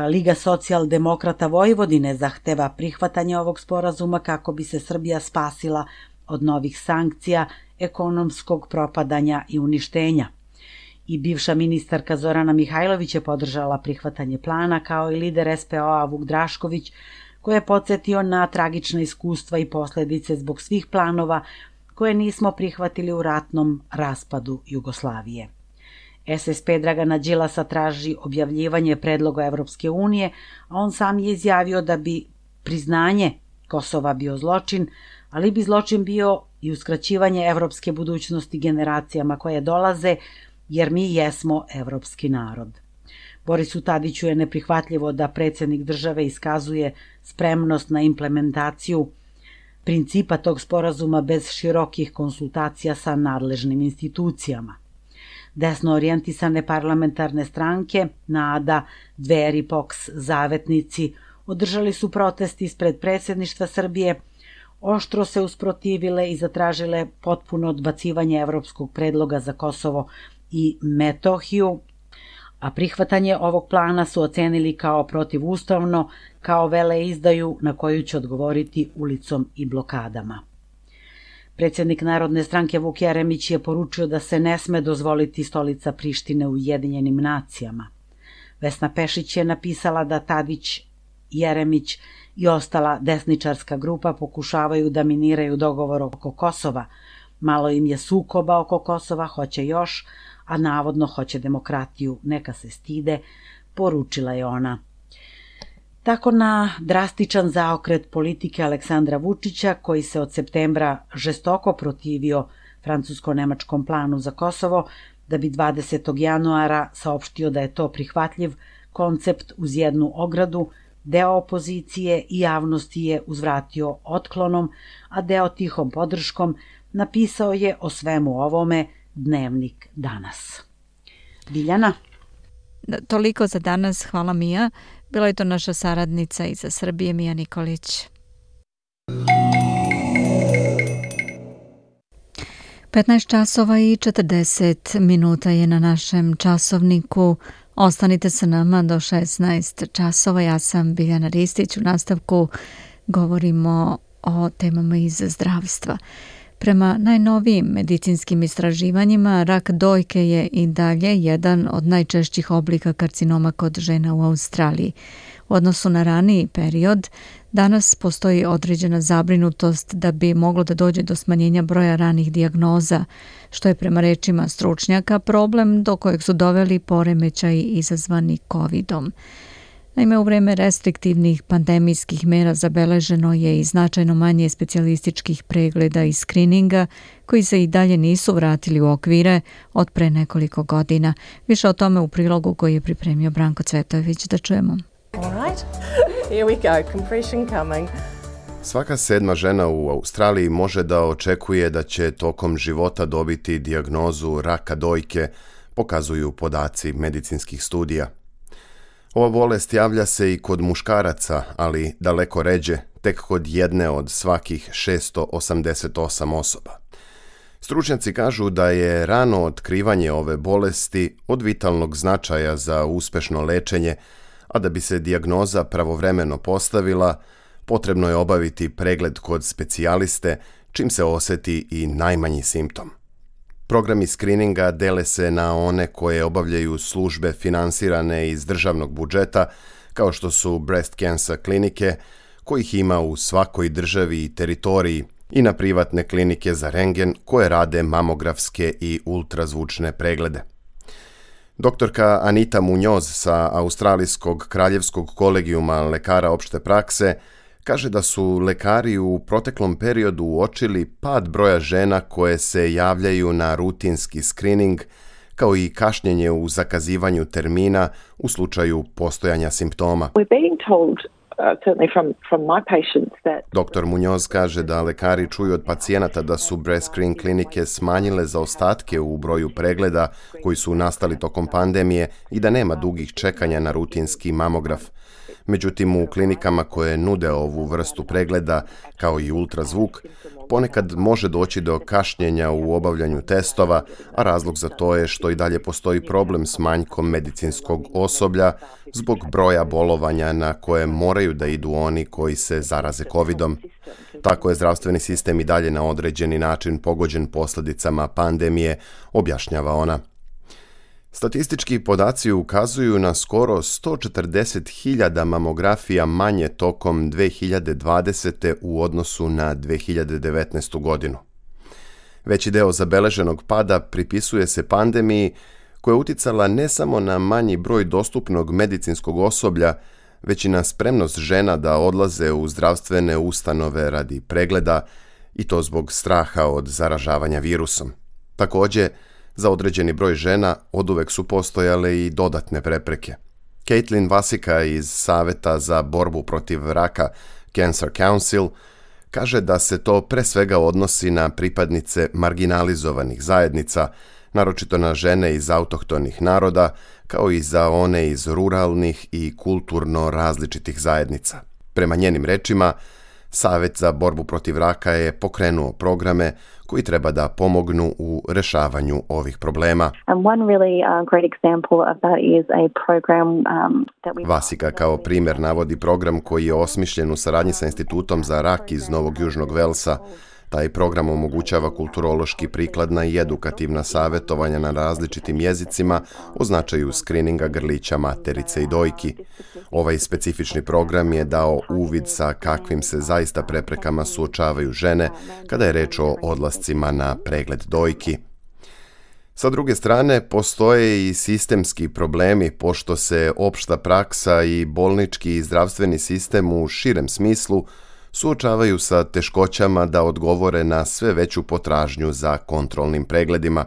Liga socijaldemokrata Vojvodine zahteva prihvatanje ovog sporazuma kako bi se Srbija spasila od novih sankcija, ekonomskog propadanja i uništenja. I bivša ministarka Zorana Mihajlović je podržala prihvatanje plana, kao i lider S P O-a Vuk Drašković, koji je podsjetio na tragična iskustva i posledice zbog svih planova koje nismo prihvatili u ratnom raspadu Jugoslavije. S S P Dragana Đilasa traži objavljivanje predloga Evropske unije, a on sam je izjavio da bi priznanje Kosova bio zločin, ali bi zločin bio i uskraćivanje evropske budućnosti generacijama koje dolaze, jer mi jesmo evropski narod. Borisu Tadiću je neprihvatljivo da predsjednik države iskazuje spremnost na implementaciju principa tog sporazuma bez širokih konsultacija sa nadležnim institucijama. Desno orijentisane parlamentarne stranke, NADA, Dveri, P O K S, Zavetnici, održali su protest ispred predsjedništva Srbije, oštro se usprotivile i zatražile potpuno odbacivanje evropskog predloga za Kosovo i Metohiju, a prihvatanje ovog plana su ocenili kao protivustavno, kao veleizdaju na koju će odgovoriti ulicom i blokadama. Predsjednik Narodne stranke Vuk Jeremić je poručio da se ne sme dozvoliti stolica Prištine u Ujedinjenim nacijama. Vesna Pešić je napisala da Tadić, Jeremić i ostala desničarska grupa pokušavaju da miniraju dogovor oko Kosova. Malo im je sukoba oko Kosova, hoće još, a navodno hoće demokratiju, neka se stide, poručila je ona. Tako na drastičan zaokret politike Aleksandra Vučića, koji se od septembra žestoko protivio francusko-nemačkom planu za Kosovo, da bi dvadesetog januara saopštio da je to prihvatljiv koncept uz jednu ogradu, deo opozicije i javnosti je uzvratio otklonom, a deo tihom podrškom, napisao je o svemu ovome Dnevnik danas. Biljana? Da, toliko za danas, hvala Mija. Bila je to naša saradnica iz Srbije, Mija Nikolić. petnaest časova i četrdeset minuta je na našem časovniku. Ostanite sa nama do šesnaest časova. Ja sam Biljana Ristić. U nastavku govorimo o temama iz zdravstva. Prema najnovijim medicinskim istraživanjima, rak dojke je i dalje jedan od najčešćih oblika karcinoma kod žena u Australiji. U odnosu na raniji period, danas postoji određena zabrinutost da bi moglo da dođe do smanjenja broja ranih dijagnoza, što je prema rečima stručnjaka problem do kojeg su doveli poremećaji izazvani kovidom. Naime, u vreme restriktivnih pandemijskih mera zabeleženo je i značajno manje specijalističkih pregleda i skrininga koji se i dalje nisu vratili u okvire od pre nekoliko godina. Više o tome u prilogu koji je pripremio Branko Cvetojević. Da čujemo. All right. Here we go. Compression coming. Svaka sedma žena u Australiji može da očekuje da će tokom života dobiti dijagnozu raka dojke, pokazuju podaci medicinskih studija. Ova bolest javlja se i kod muškaraca, ali daleko ređe, tek kod jedne od svakih šesto osamdeset osam osoba. Stručnjaci kažu da je rano otkrivanje ove bolesti od vitalnog značaja za uspešno lečenje, a da bi se dijagnoza pravovremeno postavila, potrebno je obaviti pregled kod specijaliste, čim se oseti i najmanji simptom. Programi skrininga dele se na one koje obavljaju službe finansirane iz državnog budžeta, kao što su breast cancer klinike, kojih ima u svakoj državi i teritoriji, i na privatne klinike za rentgen koje rade mamografske i ultrazvučne preglede. Doktorka Anita Muñoz sa Australijskog kraljevskog kolegijuma lekara opšte prakse kaže da su lekari u proteklom periodu uočili pad broja žena koje se javljaju na rutinski skrining, kao i kašnjenje u zakazivanju termina u slučaju postojanja simptoma. Doktor Muñoz kaže da lekari čuju od pacijenata da su breast screen klinike smanjile zaostatke u broju pregleda koji su nastali tokom pandemije i da nema dugih čekanja na rutinski mamograf. Međutim, u klinikama koje nude ovu vrstu pregleda, kao i ultrazvuk, ponekad može doći do kašnjenja u obavljanju testova, a razlog za to je što i dalje postoji problem s manjkom medicinskog osoblja zbog broja bolovanja na koje moraju da idu oni koji se zaraze kovidom. Tako je zdravstveni sistem i dalje na određeni način pogođen posljedicama pandemije, objašnjava ona. Statistički podaci ukazuju na skoro sto četrdeset hiljada mamografija manje tokom dve hiljade dvadesete. u odnosu na dve hiljade devetnaestu. godinu. Veći deo zabeleženog pada pripisuje se pandemiji koja je uticala ne samo na manji broj dostupnog medicinskog osoblja, već i na spremnost žena da odlaze u zdravstvene ustanove radi pregleda, i to zbog straha od zaražavanja virusom. Također, za određeni broj žena oduvek su postojale i dodatne prepreke. Caitlin Vasika iz Saveta za borbu protiv raka Cancer Council kaže da se to pre svega odnosi na pripadnice marginalizovanih zajednica, naročito na žene iz autohtonih naroda, kao i za one iz ruralnih i kulturno različitih zajednica. Prema njenim rečima, Savet za borbu protiv raka je pokrenuo programe koji treba da pomognu u rešavanju ovih problema. Vasika kao primjer navodi program koji je osmišljen u saradnji sa Institutom za rak iz Novog Južnog Velsa. Taj program omogućava kulturološki prikladna i edukativna savjetovanja na različitim jezicima o značaju skrininga grlića materice i dojki. Ovaj specifični program je dao uvid sa kakvim se zaista preprekama suočavaju žene kada je reč o odlascima na pregled dojki. Sa druge strane, postoje i sistemski problemi, pošto se opšta praksa i bolnički i zdravstveni sistem u širem smislu suočavaju sa teškoćama da odgovore na sve veću potražnju za kontrolnim pregledima.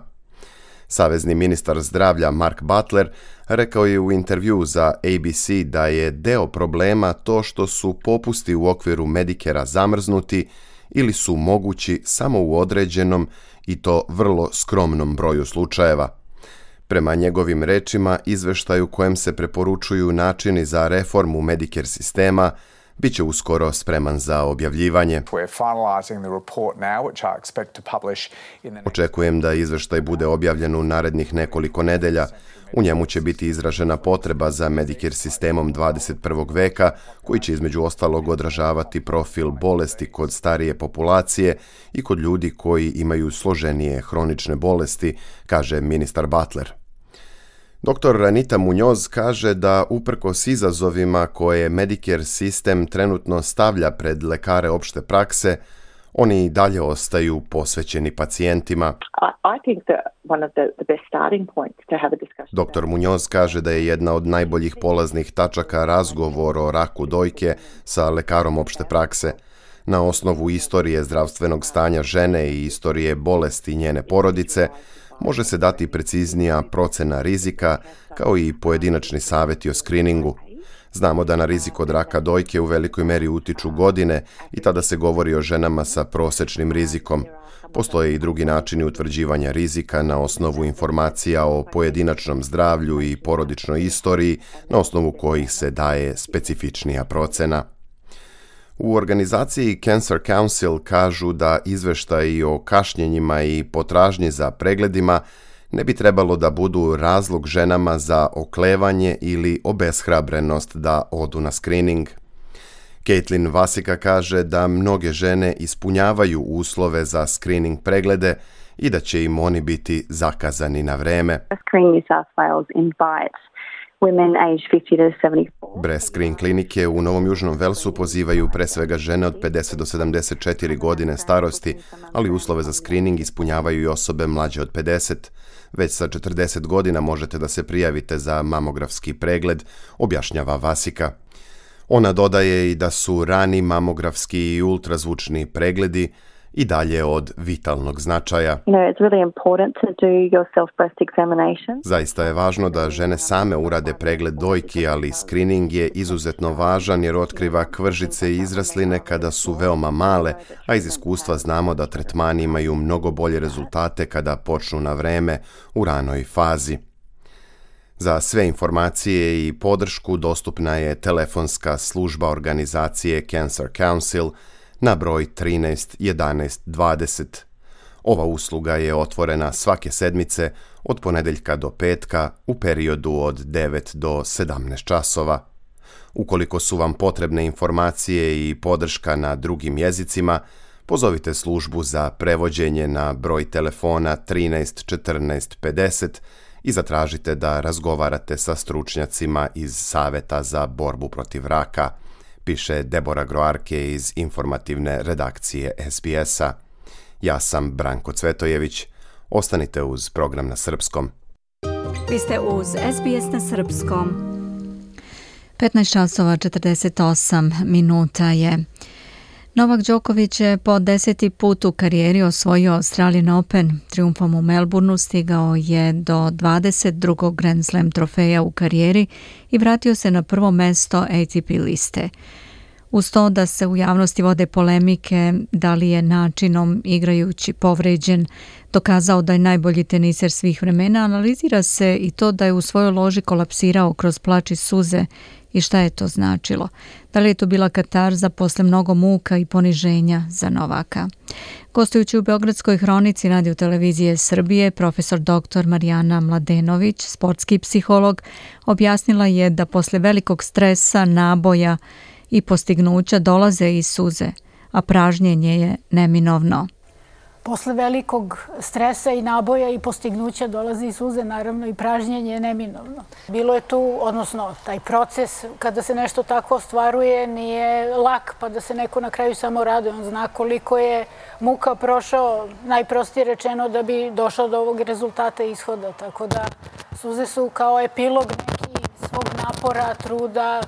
Savezni ministar zdravlja Mark Butler rekao je u intervju za A B C da je deo problema to što su popusti u okviru Medicarea zamrznuti ili su mogući samo u određenom i to vrlo skromnom broju slučajeva. Prema njegovim rečima, izveštaj u kojem se preporučuju načini za reformu Medicare sistema bit će uskoro spreman za objavljivanje. Očekujem da izveštaj bude objavljen u narednih nekoliko nedelja. U njemu će biti izražena potreba za Medicare sistemom dvadeset prvog veka, koji će između ostalog odražavati profil bolesti kod starije populacije i kod ljudi koji imaju složenije hronične bolesti, kaže ministar Butler. Doktor Anita Muñoz kaže da uprkos izazovima koje Medicare sistem trenutno stavlja pred lekare opšte prakse, oni i dalje ostaju posvećeni pacijentima. Doktor Muñoz kaže da je jedna od najboljih polaznih tačaka razgovor o raku dojke sa lekarom opšte prakse. Na osnovu istorije zdravstvenog stanja žene i istorije bolesti njene porodice, može se dati preciznija procena rizika, kao i pojedinačni savjeti o skriningu. Znamo da na rizik od raka dojke u velikoj meri utiču godine i tada se govori o ženama sa prosečnim rizikom. Postoje i drugi načini utvrđivanja rizika na osnovu informacija o pojedinačnom zdravlju i porodičnoj istoriji, na osnovu kojih se daje specifičnija procena. U organizaciji Cancer Council kažu da izveštaji o kašnjenjima i potražnji za pregledima ne bi trebalo da budu razlog ženama za oklevanje ili obeshrabrenost da odu na screening. Caitlin Vasika kaže da mnoge žene ispunjavaju uslove za screening preglede i da će im oni biti zakazani na vreme. Breast Screen klinike u Novom Južnom Velsu pozivaju pre svega žene od pedeset do sedamdeset četiri godine starosti, ali uslove za screening ispunjavaju i osobe mlađe od pedeset. Već sa četrdeset godina možete da se prijavite za mamografski pregled, objašnjava Vasika. Ona dodaje i da su rani mamografski i ultrazvučni pregledi i dalje od vitalnog značaja. Zaista je važno da žene same urade pregled dojki, ali screening je izuzetno važan jer otkriva kvržice i izrasline kada su veoma male, a iz iskustva znamo da tretmani imaju mnogo bolje rezultate kada počnu na vreme u ranoj fazi. Za sve informacije i podršku dostupna je telefonska služba organizacije Cancer Council na broj trinaest jedanaest dvadeset. Ova usluga je otvorena svake sedmice od ponedeljka do petka u periodu od devet do sedamnaest časova. Ukoliko su vam potrebne informacije i podrška na drugim jezicima, pozovite službu za prevođenje na broj telefona trinaest četrnaest pedeset i zatražite da razgovarate sa stručnjacima iz Saveta za borbu protiv raka, piše Debora Groarke iz informativne redakcije S B S-a. Ja sam Branko Cvetojević. Ostanite uz program na srpskom. Vi ste uz S B S na srpskom. petnaest časova četrdeset osam minuta je. Novak Đoković je po deseti put u karijeri osvojio Australian Open. Triumfom u Melbourneu stigao je do dvadeset drugog Grand Slam trofeja u karijeri i vratio se na prvo mesto A T P liste. Uz to da se u javnosti vode polemike da li je načinom igrajući povređen dokazao da je najbolji teniser svih vremena, analizira se i to da je u svojoj loži kolapsirao kroz plač i suze i šta je to značilo. Da li je to bila katarza posle mnogo muka i poniženja za Novaka? Gostujući u Beogradskoj hronici Radio televizije Srbije, profesor doktor Marijana Mladenović, sportski psiholog, objasnila je da posle velikog stresa, naboja i postignuća dolaze i suze, a pražnjenje je neminovno. Posle velikog stresa i naboja i postignuća dolazi i suze, naravno i pražnjenje je neminovno. Bilo je tu, odnosno taj proces kada se nešto tako ostvaruje nije lak, pa da se neko na kraju samo raduje. On zna koliko je muka prošao, najprostije rečeno, da bi došao do ovog rezultata i ishoda. Tako da suze su kao epilog neki svog napora, truda,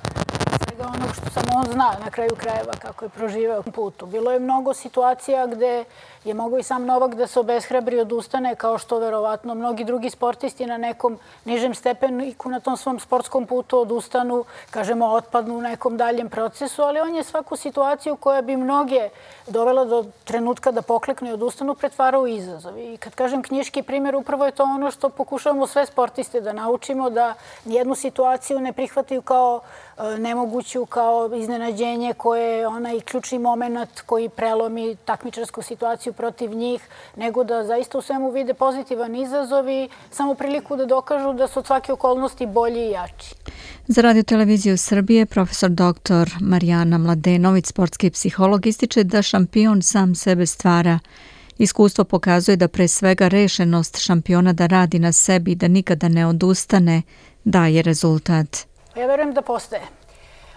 svega onog što samo on zna na kraju krajeva kako je proživeo putu. Bilo je mnogo situacija gde je mogao i sam Novak da se obeshrabri, odustane, kao što verovatno mnogi drugi sportisti na nekom nižem stepeniku na tom svom sportskom putu odustanu, kažemo, otpadnu u nekom daljem procesu, ali on je svaku situaciju koja bi mnoge dovela do trenutka da pokleknu i odustanu pretvarao u izazov. I kad kažem knjiški primjer, upravo je to ono što pokušavamo sve sportiste da naučimo, da nijednu situaciju ne prihvataju kao nemoguću, kao iznenađenje koje je onaj ključni moment koji prelomi takmičarsku situaciju protiv njih, nego da zaista u svemu vide pozitivan izazov i samo priliku da dokažu da su od svake okolnosti bolji i jači. Za Radio televiziju Srbije profesor doktor Marijana Mladenović, sportski psiholog, ističe da šampion sam sebe stvara. Iskustvo pokazuje da pre svega rešenost šampiona da radi na sebi i da nikada ne odustane daje rezultat. Ja verujem da postaje.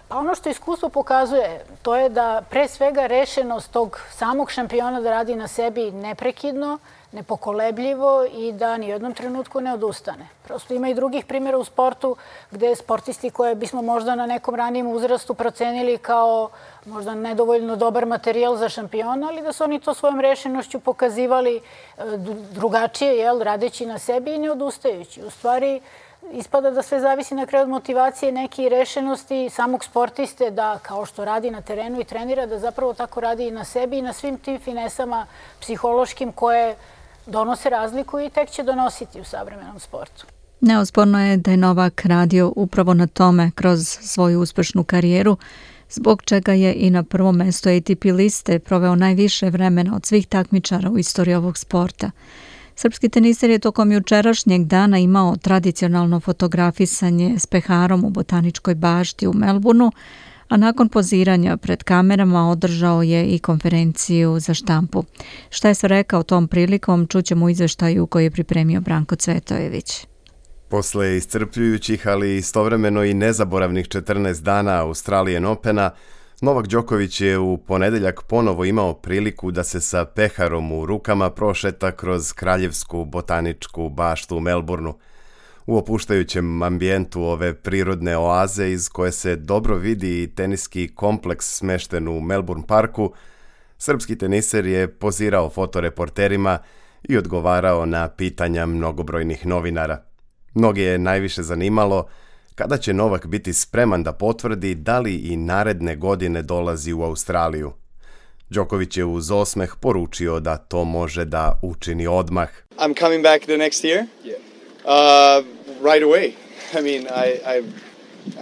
Pa ono što iskustvo pokazuje, to je da pre svega rešenost tog samog šampiona da radi na sebi neprekidno, nepokolebljivo i da ni u jednom trenutku ne odustane. Prosto ima i drugih primjera u sportu gde sportisti koje bismo možda na nekom ranijem uzrastu procenili kao možda nedovoljno dobar materijal za šampiona, ali da su oni to svojom rešenošću pokazivali drugačije, jel, radeći na sebi i ne odustajući. U stvari, ispada da sve zavisi na kraju od motivacije neke i rešenosti samog sportiste da, kao što radi na terenu i trenira, da zapravo tako radi i na sebi i na svim tim finesama psihološkim koje donose razliku i tek će donositi u savremenom sportu. Neosporno je da je Novak radio upravo na tome kroz svoju uspešnu karijeru, zbog čega je i na prvom mestu A T P liste proveo najviše vremena od svih takmičara u istoriji ovog sporta. Srpski teniser je tokom jučerašnjeg dana imao tradicionalno fotografisanje s peharom u Botaničkoj bašti u Melbourneu, a nakon poziranja pred kamerama održao je i konferenciju za štampu. Šta je sve rekao tom prilikom, čućemo u izveštaju koji je pripremio Branko Cvetojević. Posle iscrpljujućih, ali istovremeno i nezaboravnih četrnaest dana Australian Opena, Novak Đoković je u ponedeljak ponovo imao priliku da se sa peharom u rukama prošeta kroz kraljevsku botaničku baštu u Melbourneu. U opuštajućem ambijentu ove prirodne oaze iz koje se dobro vidi i teniski kompleks smešten u Melbourne parku, srpski teniser je pozirao fotoreporterima i odgovarao na pitanja mnogobrojnih novinara. Mnoge je najviše zanimalo kada će Novak biti spreman da potvrdi da li i naredne godine dolazi u Australiju. Đoković je uz osmeh poručio da to može da učini odmah. I'm coming back the next year. Yeah. Uh, right away. I mean, I I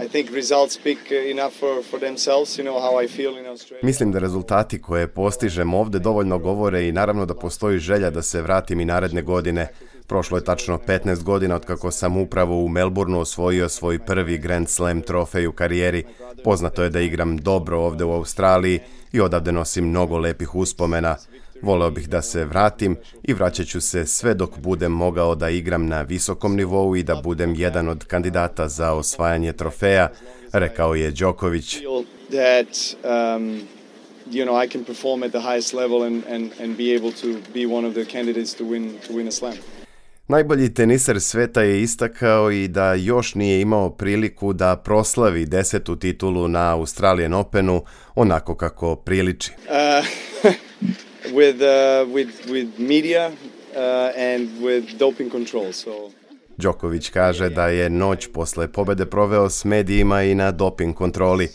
I think results speak enough for for themselves, you know how I feel in Australia. Mislim da rezultati koje postižem ovde dovoljno govore i naravno da postoji želja da se vratim i naredne godine. Prošlo je tačno petnaest godina od kako sam upravo u Melbourneu osvojio svoj prvi Grand Slam trofej u karijeri. Poznato je da igram dobro ovde u Australiji i odavde nosim mnogo lepih uspomena. Voleo bih da se vratim i vraćat ću se sve dok budem mogao da igram na visokom nivou i da budem jedan od kandidata za osvajanje trofeja, rekao je Đoković. You know, I can perform at the highest level and and and be able to be one of the candidates to win to win a slam. Najbolji teniser sveta je istakao i da još nije imao priliku da proslavi desetu titulu na Australian Openu onako kako priliči. Uh, with uh, with with media uh, and with doping control. So Đoković kaže da je noć posle pobede proveo s medijima i na doping kontroli.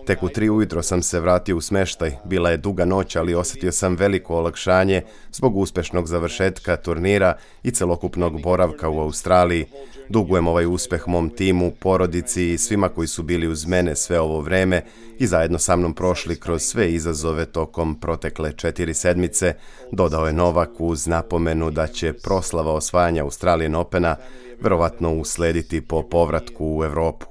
Tek u tri ujutro sam se vratio u smeštaj. Bila je duga noć, ali osjetio sam veliko olakšanje zbog uspešnog završetka turnira i celokupnog boravka u Australiji. Dugujem ovaj uspeh mom timu, porodici i svima koji su bili uz mene sve ovo vreme i zajedno sa mnom prošli kroz sve izazove tokom protekle četiri sedmice, dodao je Novak uz napomenu da će proslava osvajanja Australian Opena verovatno uslediti po povratku u Evropu.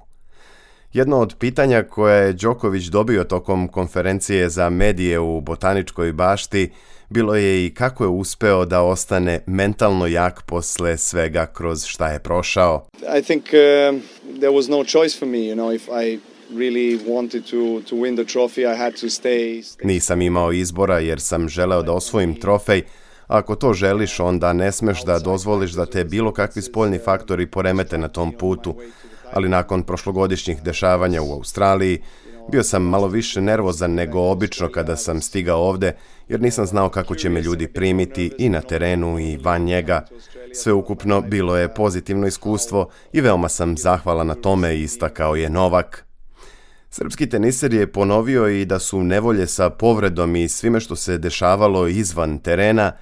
Jedno od pitanja koje je Đoković dobio tokom konferencije za medije u Botaničkoj bašti bilo je i kako je uspeo da ostane mentalno jak posle svega kroz šta je prošao. I think uh, there was no choice for me, you know, if I really wanted to to win the trophy, I had to stay. Nisam imao izbora jer sam želeo da osvojim trofej. Ako to želiš, onda ne smeš da dozvoliš da te bilo kakvi spoljni faktori poremete na tom putu. Ali nakon prošlogodišnjih dešavanja u Australiji, bio sam malo više nervozan nego obično kada sam stigao ovde, jer nisam znao kako će me ljudi primiti i na terenu i van njega. Sveukupno bilo je pozitivno iskustvo i veoma sam zahvalan na tome, istakao je Novak. Srpski teniser je ponovio i da su nevolje sa povredom i svime što se dešavalo izvan terena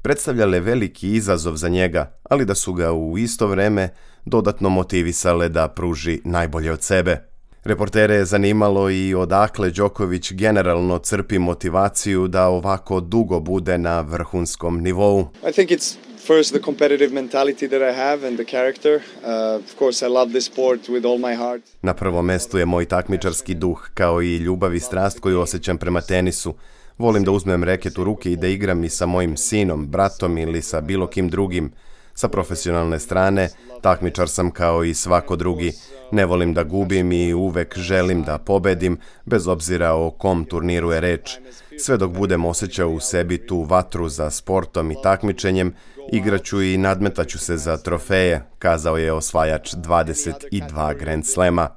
predstavljale veliki izazov za njega, ali da su ga u isto vreme dodatno motivisale da pruži najbolje od sebe. Reportere je zanimalo i odakle Đoković generalno crpi motivaciju da ovako dugo bude na vrhunskom nivou. I think it's first the competitive mentality that I have and the character. Uh, of course I love this sport with all my heart. Na prvom mestu je moj takmičarski duh, kao i ljubav i strast koju osjećam prema tenisu. Volim da uzmem reket u ruke i da igram i sa mojim sinom, bratom ili sa bilo kim drugim. Sa profesionalne strane, takmičar sam kao i svako drugi. Ne volim da gubim i uvek želim da pobedim, bez obzira o kom turniru je reč. Sve dok budem osjećao u sebi tu vatru za sportom i takmičenjem, igraću i nadmetaću se za trofeje, kazao je osvajač dvadeset dva Grand Slema.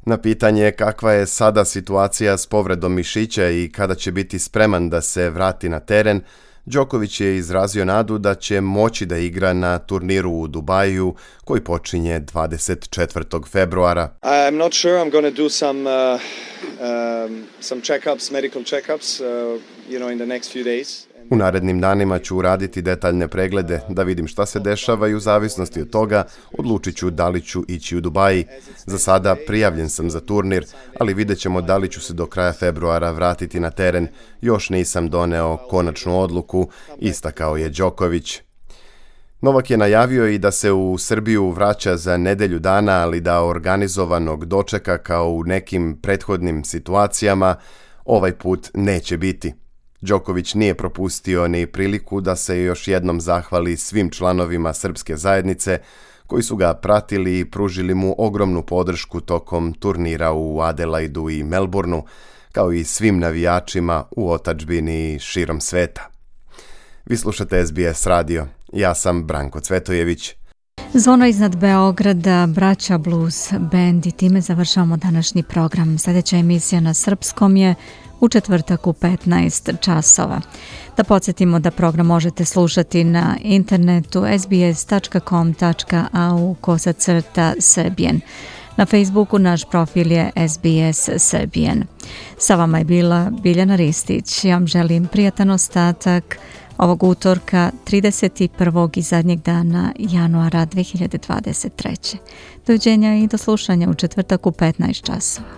Na pitanje kakva je sada situacija s povredom mišića i kada će biti spreman da se vrati na teren, Đoković je izrazio nadu da će moći da igra na turniru u Dubaju koji počinje dvadeset četvrtog februara. I'm not sure, I'm going to do some uh, um, some check-ups, medical check-ups, uh, you know, in the next few days. U narednim danima ću uraditi detaljne preglede da vidim šta se dešava i u zavisnosti od toga odlučit ću da li ću ići u Dubaji. Za sada prijavljen sam za turnir, ali vidjet ćemo da li ću se do kraja februara vratiti na teren. Još nisam doneo konačnu odluku, istakao je Đoković. Novak je najavio i da se u Srbiju vraća za nedelju dana, ali da organizovanog dočeka kao u nekim prethodnim situacijama ovaj put neće biti. Đoković nije propustio ni priliku da se još jednom zahvali svim članovima srpske zajednice koji su ga pratili i pružili mu ogromnu podršku tokom turnira u Adelaidu i Melbourneu, kao i svim navijačima u otadžbini širom sveta. Vi slušate S B S radio. Ja sam Branko Cvetojević. Zvono iznad Beograda, Braća Blues Band i time završavamo današnji program. Sljedeća emisija na srpskom je u četvrtak u petnaest časova. Da podsjetimo da program možete slušati na internetu es be es tačka com tačka a u kosacrta Serbian. Na Facebooku naš profil je S B S Serbian. Sa vama je bila Biljana Ristić. Ja vam želim prijatan ostatak ovog utorka trideset prvog i zadnjeg dana januara dve hiljade dvadeset treće. Doviđenja i do slušanja u četvrtak u petnaest časova.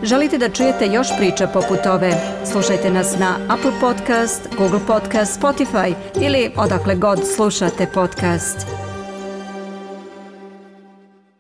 Želite da čujete još priča poput ove? Slušajte nas na Apple Podcast, Google Podcast, Spotify ili odakle god slušate podcast.